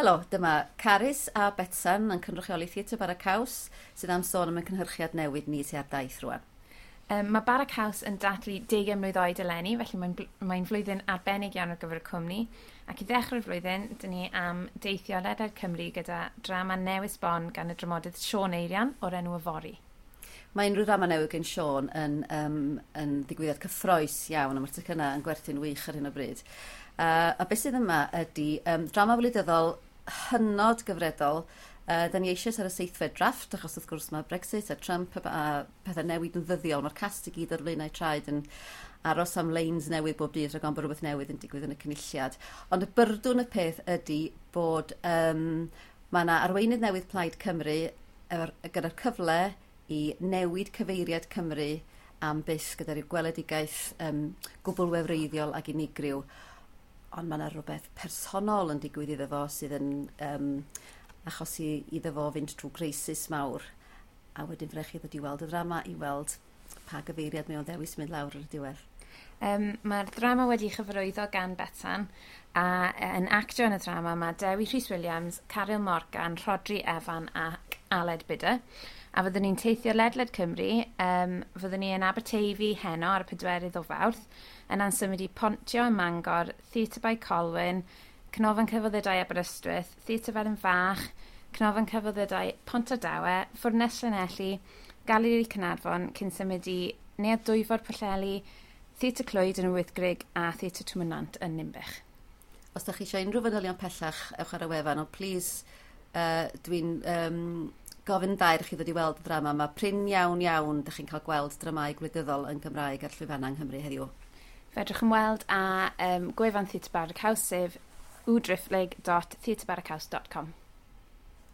Helo, dyma Carys a Betsan yn cynrychioli Theatr Bara Caws sydd am sôn am y cynhyrchiad newydd ni sydd ar daith rwan. Mae Bara Caws yn dathlu 20 mlwydd oed eleni, felly mae'n flwyddyn arbennig iawn ar gyfer y cwmni. Ac i ddechrau'r flwyddyn, dyn ni am deithio ledled Cymru gyda drama newydd sbon gan y dramodydd Siôn Eirian o'r enw Yfory. Mae unrhyw ddrama newydd gen Siôn yn ddigwyddiad cyffrous iawn, a mae'r tocynnau yn gwerthu'n wych ar hyn o bryd. A beth sydd yma ydy drama wleidyddol hynod gyfredol. Da ni eisoes ar y seithfed drafft, achos wrth gwrs mae Brexit a Trump a pethau newid yn ddyddiol. Mae'r cast i gyd ar flaenau traed yn aros am leins newydd bob dydd rhag ofn bod rhywbeth newydd yn digwydd yn y cynulliad. Ond y byrdwn y peth ydy bod mae yna arweinydd newydd Plaid Cymru gyda'r cyfle i newid cyfeiriad Cymru am byth gyda rhyw gweledigaeth gwbl wefreiddiol ac unigryw. Ond mae yna rhywbeth personol yn digwydd iddo fo sydd yn achosi iddo fo fynd trwy greisis mawr. A wedyn fydd chi ddod i weld y ddrama i weld pa gyfeiriad mae o'n ddewis mynd lawr ar y diwedd. Mae'r ddrama wedi chyfarwyddo gan Betsan a yn actio yn y ddrama mae Dewi Rhys Williams, Caryl Morgan, Rhodri Evan ac Aled Bidder. A fyddwn ni'n teithio ledled Cymru, fyddwn ni yn Aberteifi heno ar y 4 o Fawrth, yna'n symud i Pontio ym Mangor, Theatr Bae Colwyn, Canolfan Celfyddydau Aberystwyth, Theatr Felin Fach, Canolfan Celfyddydau Pontardawe, Ffwrnes Llanelli, Galeri Caernarfon, cyn symud i Neuadd Dwyfor Pwllheli, Theatr Clwyd yn y Wyddgrug a Theatr Twmwnant yn Ninbych. Os da chi eisiau unrhyw fanylion pellach, ewch ar y wefan, ond please, dwi'n gofyn dair i chi ddod i weld y ddrama. Mae prin iawn iawn da chi'n cael gweld dramâu gwleidyddol yn Gymraeg ar llwyfannau yng Nghymru heddiw. Fedrwch ymweld â gwefan Theatr Bara Caws sef www.theatrbarracaws.com.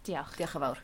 Diolch. Diolch yn fawr.